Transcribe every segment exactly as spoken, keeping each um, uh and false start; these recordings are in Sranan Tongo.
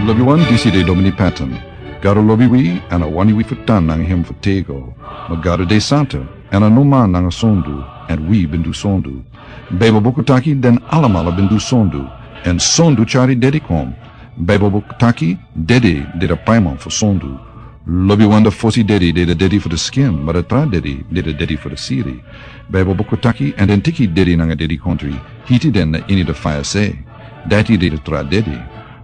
Lobi wan, disi de Domini Patton. Gado lobi wi, èn a wani wi fu tan nanga hem fu tego. Ma Gado de santa, èn a no man nanga sondu, èn wi ben du sondu. Baibel buku taki den alamala ben du sondu, èn sondu tyari dedi kon. Baibel buku taki dedi de a paiman fu sondu. Lobi wan, a fosi dedi de a dedi fu a skin, ma a tra dedi de a dedi fu a siri. Baibel buku taki, èn den teki dedi nanga dedikontri, hiti den na ini a faya se. Dati de a tra dedi.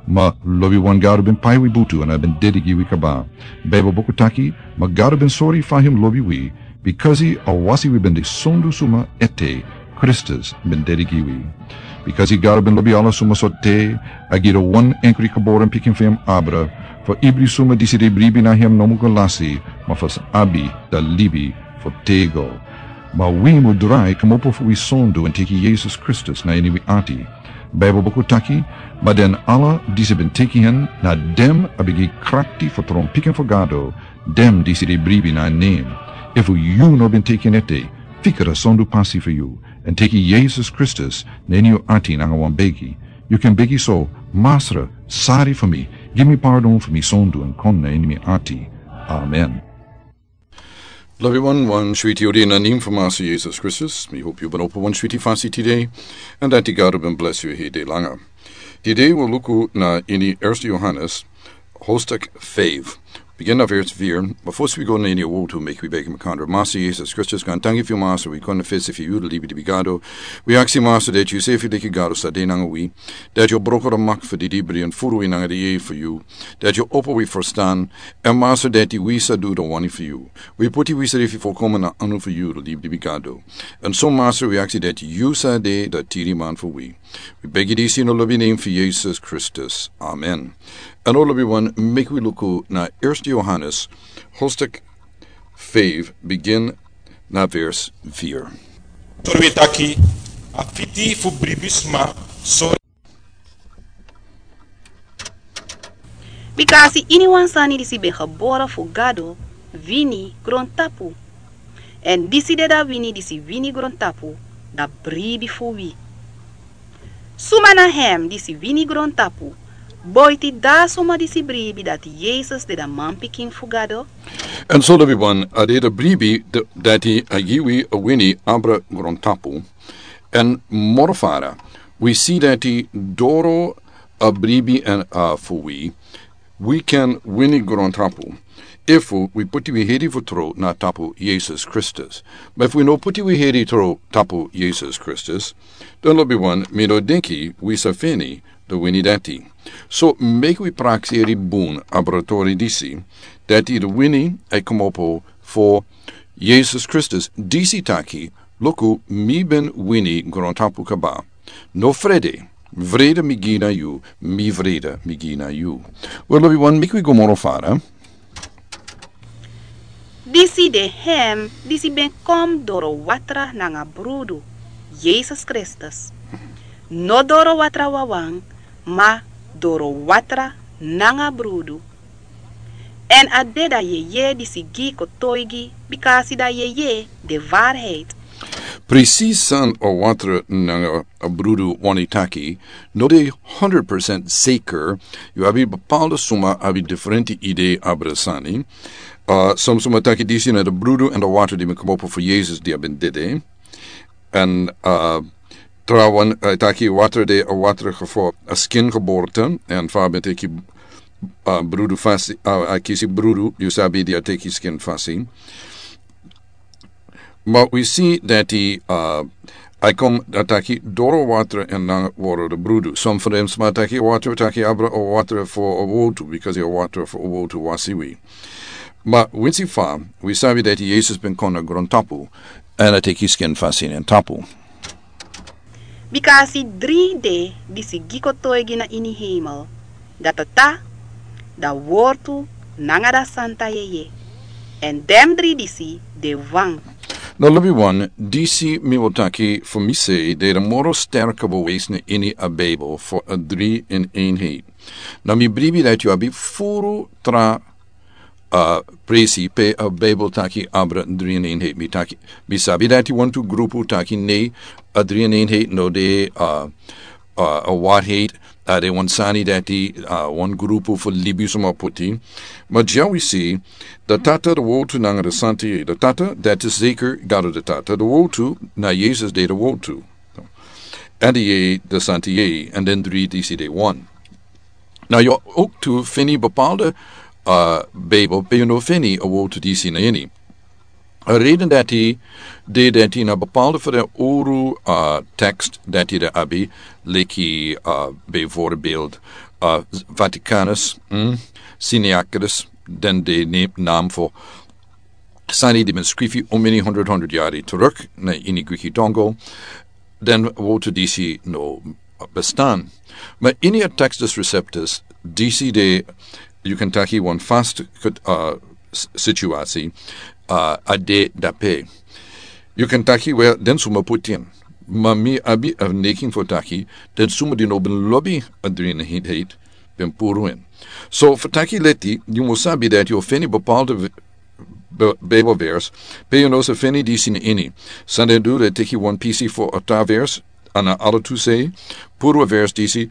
Ma lobi wan, Gado ben pai wi butu èn a ben dedi gi wi kaba. Baibel buku taki, ma Gado ben sori fa hem lobi wi, bikasi a wasi wi ben de sondu suma ete, Kristus ben dedi gi wi. Bikasi Gado ben lobi ala suma so te, a gi a wan enkri geboren pikin fu hem abra, fu ibri suma disi de bribi na hem no mu go lasi, ma fu sa abi a libi fu tego. Ma wi mu drai komopo fu wi sondu èn teki Yesus Kristus na ini wi ati. Baibel buku taki, ma den ala disi ben teki hen, na den a ben gi krakti fu tron pikin fu Gado, den disi de bribi na nen. Efu yu no ben teki hen ete, fika a sondu pasi fu yu, èn teki Yesus Kristus na ini yu ati nanga wan begi. Yu kan begi so: Masra, sari fu mi, gi mi pardon fu mi sondu èn kon na ini mi ati. Amen. Lobi wan, wan switi odi na nen fu Masra Yesus Kristus. Mi hopu yu ben opo wan switi fasi tide, èn dati Gado ben blesi yu heri de langa. Tide wi luku na ini Erste Yohanes, hoofdstuk vijf. Begin na vers vier. Ma fosi wi go na ini a wotu, meki wi begi makandra. Masra Yesus Kristus, gaantangi fu yu, Masra, wi kon na fesi fu yu, a libi libi Gado. Wi aksi, Masra, dati yu sefi, leki Gado, sa de nanga wi. Dati yu o broko a mak fu didibri èn furu wi nanga a yeye fu yu. Dati yu o opo wi ferstan, èn, Masra, dati wi sa du a wani fu yu. Wi poti wi sefi folkomen na anu fu yu, a libi libi Gado. Èn so, Masra, wi aksi dati yu sa de a tiriman fu wi. Wi begi disi na a lobi nen fu Yesus Kristus. Amen. Èn now, lobi wan, meki wi luku na Erste Yohanes, hoofdstuk vijf, begin na vers vier. Tori wi taki, a fiti fu bribi sma sori. Bikasi iniwan sani disi ben gebore fu Gado wini grontapu. Èn disi de a wini disi wini grontapu, a bribi fu wi. Suma na hem disi wini grontapu, boiti a suma disi bribi dati Yesus de a manpikin fu Gado? Èn so, lobi wan, a de a bribi d-, dati a gi wi a wini abra grontapu. Èn moro fara, wi si dati doro a bribi èn, a, fu wi, wi kan wini grontapu, efu wi poti wi heri fu tron na tapu Yesus Kristus. Ma efu wi no poti wi heri tron tapu Yesus Kristus, dan, lobi wan, mi no denki wi sa feni a wini dati. So, meki wi prakseri bun abra a tori disi, dati a wini e komopo fu Yesus Kristus, disi taki: Luku, mi ben wini grontapu kaba. No frede, vrede mi gi na yu, mi vrede mi gi na yu. Wel, lobi wan, meki wi go moro fara. Disi de hem disi ben kon doro watra nanga brudu, Yesus Kristus. No doro watra wawan, ma doro watra nanga brudu. Èn a de a yeye disi gi kotoigi, bikasi a yeye de waarheid. Precies san a watra nanga a brudu wani taki, no de honderd procent zeker. Yu abi bepaalde suma abi diferente idee abra a sani. A, son suma taki disi na a brudu èn a watra di ben komopo fu Yesus di a ben dede. Èn, a, trawan, a, taki watra de a watra fu a skin geboorte. Èn fa a ben teki, a, brudu fasi, a, a kisi brudu, yu sabi, di a teki skin fasi. Ma wi si dati, a, a kon, a taki doro watra èn nanga watra brudu. Son fu den sma taki watra, taki abra a watra fu a wotu, bikasi a watra fu a wotu wasi wi. Ma winsi fa wi sabi dati Yesus ben kon na grontapu, èn a teki skin fasi na en tapu. Bikasi dri de disi gi kotoigi na ini hemel, a Tata, a Wortu, nanga a Santa Yeye. Èn den dri disi de wan. Now, lobi wan, disi mi o taki fu mi sei de a moro sterke bewijs na ini a Bijbel fu a drie in eenheid. Now, mi bribi dati yu abi furu tra a presi pe a Bijbel taki abra drie in eenheid. Mi taki, mi sabi dati wantu grupu taki nee, a drie in eenheid no de, a, a, a waarheid. A de wan sani dati, a wan grupu fu libisma puti. Ma dya wi si, de tata de wotu nanga de santa yei, de tata dati seki gado de tata de wotu, na yesus de de wotu. An de yei de santa yei an den dri disi de wan. Na yu oktu fini bepalde, a bebel pe yu no fini a wotu disi na ini. A reden dati de dati na bepalde fu de oru a tekst dati de abi leki a bevorbeeld a vaticanus, siniacris, den de nam fu sani di ben skrifi omini hundred hundred yari turuk na ini griki dongo. Den wotu disi no bestan. Ma ini a textus receptus disi de yu kan taki wan fast kut a situasi a de dape. Yu kan taki we den suma putin. Ma mi abi a nekin fu taki den suma di no ben lobi a drin a hit hit ben puru in. So fu taki leti yu musabi dati yu feni bepalde bebel vers pe yu no sa feni disi na ini. Sande du de teki wan pisi fu a tra vers ana ala tu sei puru a vers disi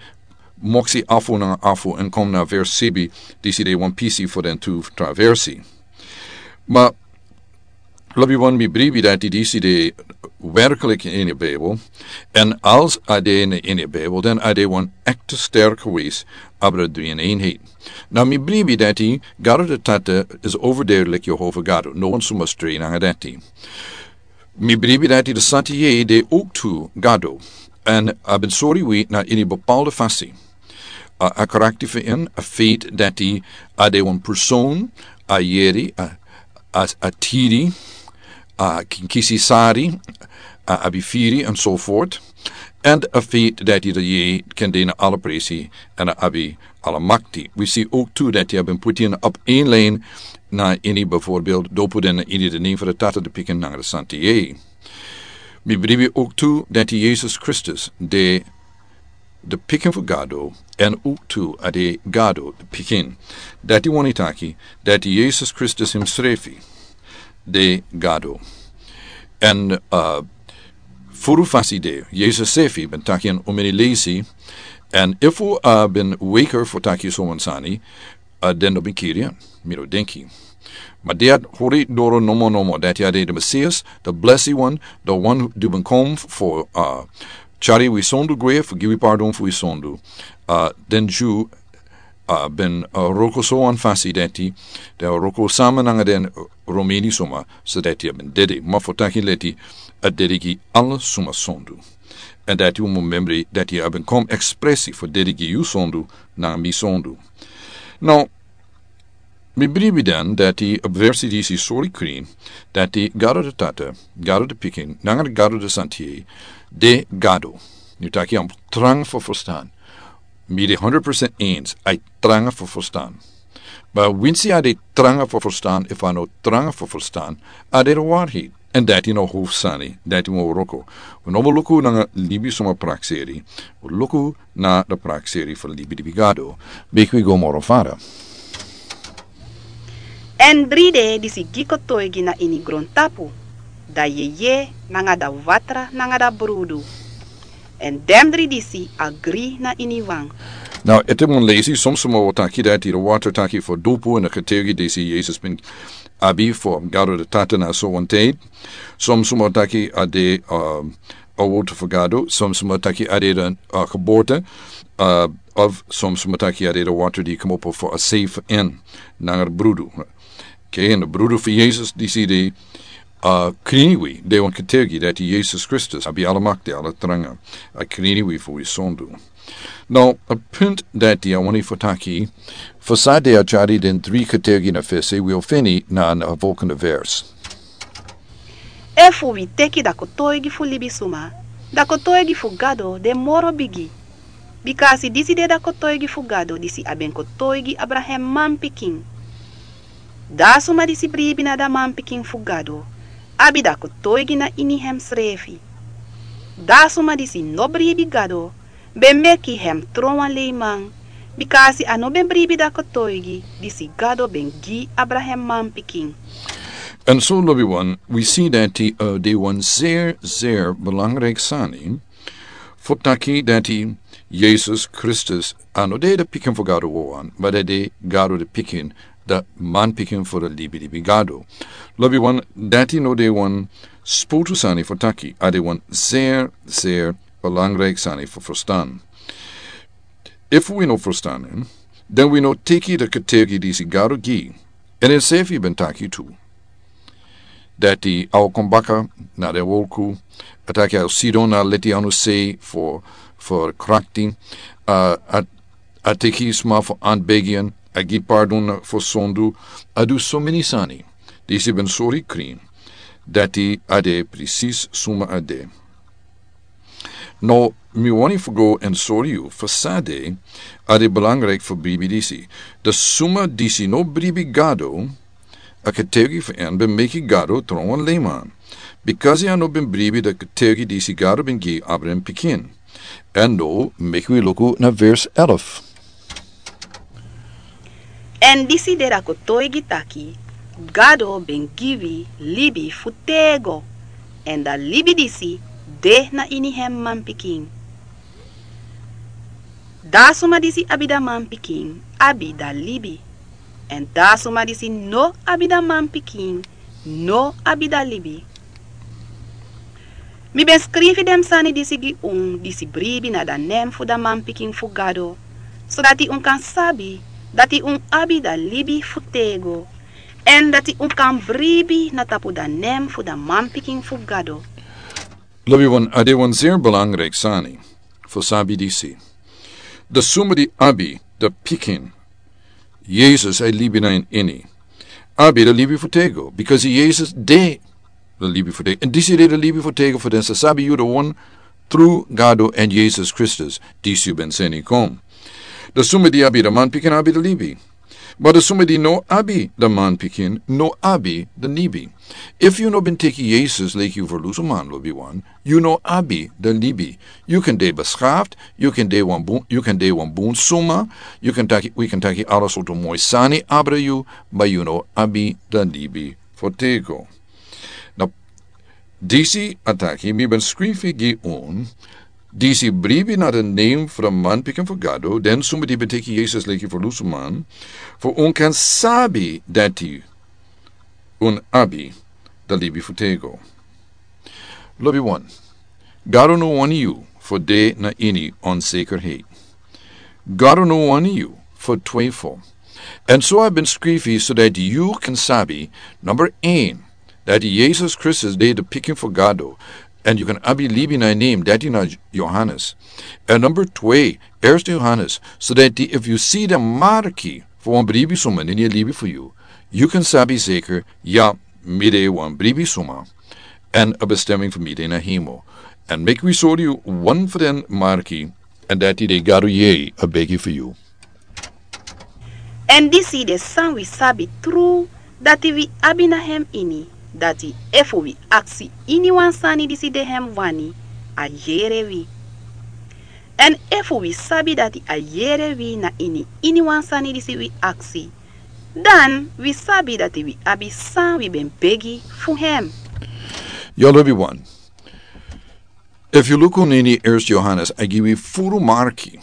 moksi afu na afu en kom na vers sibi disi de wan pisi fu den tu tra versi. Ma lobi wan mi bribi dati disi de werklik ini a bebel. En als a de na ini a bebel den a de wan ekte sterk wis abra dri en enheit. Na mi bribi dati gado de tata is overdeerlik jehova gado no wan suma stri nanga dati. Mi bribi dati de santa yei de oktu gado. En a ben sori wi na ini bepalde fasi a karakti fu in a feit dati a de wan person a yeri a tiri a kinkisi sari a abi firi en so fort. En a feit dati de yei ken de na ala presi en a abi ala makti wi si oktu dati a ben puti en op en line. Na ini bevorbeeld dopu den na ini de nen fu de tata de pikin nanga de santa yei. Mi bribi oktu dati yesus kristus de de pikin fu gado. En uktu a de gado de pikin dati wani taki dati yesus kristus himsrefi de gado. En furu fasi de yesus sefi ben taki en umini lesi. En ifu a ben weker fu taki soman sani a den no ben kiri en. Mi no denki ma de a hori doro nomo nomo dati a de de mesias de blesi wan de wan di ben kom fu a chari wi sondu gwe fu gi wi pardon fu wi sondu. Den ju a ben a roko so wan fasi dati de a roko sama nanga den romeni suma so dati a ben dedi ma fu taki leti a dedi gi ala suma sondu. En dati un memri dati a ben kom ekspresi fu dedi gi yu sondu nanga mi sondu. No mi bribi den dati a versi disi sori krin dati gado de tata gado de pikin nanga de gado de santi de gado. Yu taki a tranga fu fustan. Mi de hundred percent ens a tranga fu fustan. Ma winsi a de tranga fu fustan efu a no tranga fu fustan a de de warhi. En dati no huf sani dati mo roko. Un no mo luku nanga libi suma prakseri. Un luku na de prakseri fu libi dibi gado. Beki wi go moro fara. En dri de disi gi kotoigi na ini grontapu da yeye nanga da watra nanga da brudu. En den dri disi agri na ini wan. Now ete mun lesi somsuma o taki dati de watra taki fu dupu en a kotoigi disi yesus bin abi fu gado de tata na so wan ted. Somsuma o taki a de a wotu fu gado somsuma o taki a de de a kaborta of somsuma o taki a de de watra di komopo fu a safe en nanga de brudu. Ke en de brudu fu yesus disi de a krini wi de wan kotoigi dati yesus kristus abi ala makti ala tranga a krini wi fu wi sondu. No a punt dati a wani fu taki fu sa de a chari den dri kotoigi na fesi wi o feni na a volkende vers. Efu wi teki da kotoigi fu libisuma da kotoigi fu gado de moro bigi. Bika a si disi de da kotoigi fu gado disi a ben kotoigi abraham manpikin. Da a suma disi bribi na da manpikin fu gado abi da kotoigi na ini hemsrefi. Da a suma disi no bribi gado ben meki hem tron wan leiman. Bika a si a no ben bribi da kotoigi disi gado ben gi abraham manpikin. En so lobi wan wi si dati a de wan zer zer belangriki sani fu taki dati Yesus Kristus a no de de pikin fu Gado wawan, ma a de Gado de pikin, de manpikin fu de libilibi Gado. Lobi wan, dati no de wan spotu sani fu taki, a de wan zeer, zeer belangrijk sani fu verstaan. Efu wi no verstaan en, dan wi no teki de ketegi disi Gado gi, en en sefi ben taki tu. Dati a o kon baka na de wolku, a taki a o sidon na leti anu sei fu, fu krakti, a, a, a teki sma fu anbegi en, a gi pardon fu sondu, a du so meni sani. Disi ben sori krin, dati a de presis suma a de. No, mi wani fu go en sori yu, fu san de, a de belangrijk fu bribi disi. De suma disi no bribi Gado, a ketegi fu en ben meki Gado tron wan leiman. Bikasi a no ben bribi de ketegi disi Gado ben gi abra en pikin. En no, meki wi luku na vers elf. En disi de da kotoigi taki, Gado ben gi wi libi fu tego, en da libi disi de na ini hem manpikin. Da suma disi abi da manpikin, abi da libi. En da suma disi no abi da manpikin, no abi da libi. Mi ben skrifi den sani disi gi un, disi bribi na da nen fu da manpikin fu Gado, sodati un kan sabi, dati un abi da libi fu tego, en dati un kan bribi na tapu da nen fu da manpikin fu Gado. Lobi wan, a de wan zeer belangrijk sani fu sabi disi. De suma di abi de pikin, Yesus e libi na en ini, abi de libi fu tego, bikasi Yesus de de libi fu tego. En disi de de libi fu tego fu den sa sabi yu de wan tru Gado en Yesus Kristus, disi yu ben seni kon. De suma di abi de manpikin abi de libi. Ma de suma di no abi de manpikin no abi de libi. Efu yu no ben teki Yesus leki yu ferlusuman, lobi wan, yu no abi de libi. Yu kan de beschaft, yu kan de wan bun, yu kan de wan bun suma, yu kan taki, wi kan taki ala sortu moi sani abra yu, ma yu no abi de libi fu tego. Na disi a taki, mi ben skrifi gi un, disi bribi na de nen fu de manpikin fu Gado, den suma di ben teki Yesus leki ferlusuman, fu un kan sabi dati un abi de libi fu tego. Lobi wan, Gado no wani yu fu de na ini onzekerheid. Gado no wani yu fu twijfel. En so a ben skrifi sodati yu kan sabi, number een, dati Yesus Kristus de de pikin fu Gado, en yu kan abi libi na en nen, dati na Johannes. En number twee, Eerste Johannes, sodati efu yu si de marki fu wan bribi suma na ini a libi fu yu, yu kan sabi zeker, ya, mi de wan bribi suma, en a bestemming fu mi de na hemel. En meki wi sori yu wan fu den marki, en dati de Gado yere a begi fu yu. En disi de san wi sabi tru, dati wi abi na hem ini, dati efu wi aksi iniwan sani disi de hem wani, a yere wi. En efu wi sabi dati a yere wi na ini iniwan sani disi wi aksi, dan wi sabi dati wi abi san wi ben begi fu hem. Ya, lobi wan. Efu yu luku na ini Eerste Johannes, a gi wi furu marki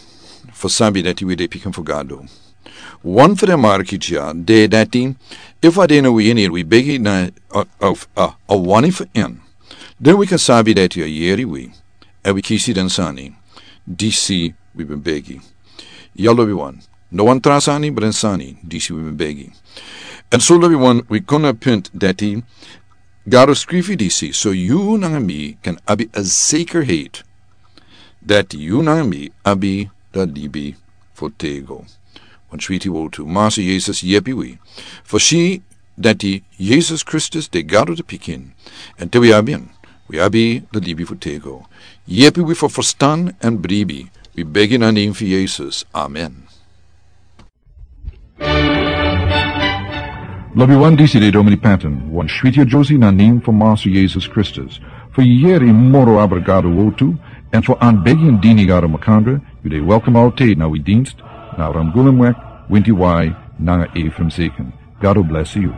fu sabi dati wi de pikin fu Gado. Wan fu den marki dya de dati, efu a de na wi ini, wi begi na a, a, a, a wani fu en, den wi kan sabi dati a yere wi, en wi kisi den sani disi wi ben begi. Ya, lobi wan. No wan tra sani, ma den sani disi wi ben begi. En so, lobi wan, wi kon na punt dati Gado skrifi disi, so yu nanga mi kan abi a zekerheid dati yu nanga mi abi de libi fu tego. Wan switi wortu. Masa Yesus, yepi wi fu si dati Yesus Kristus de Gado de pikin, en te wi abi en, wi abi de libi fu tego. Yepi wi fu ferstan en bribi, wi begi na nen fu Yesus. Amen. Lobi wan, disi de Domini Patton, wan switi a Josi na nen fu Masa Yesus Kristus. Fu yere moro abra Gado wortu, en fu anbegi en dini Gado makandra, yu de welkom altijd na wi dienst, na Ramgulumweg, winti wai, nanga Ephraim Zeken. God will bless you.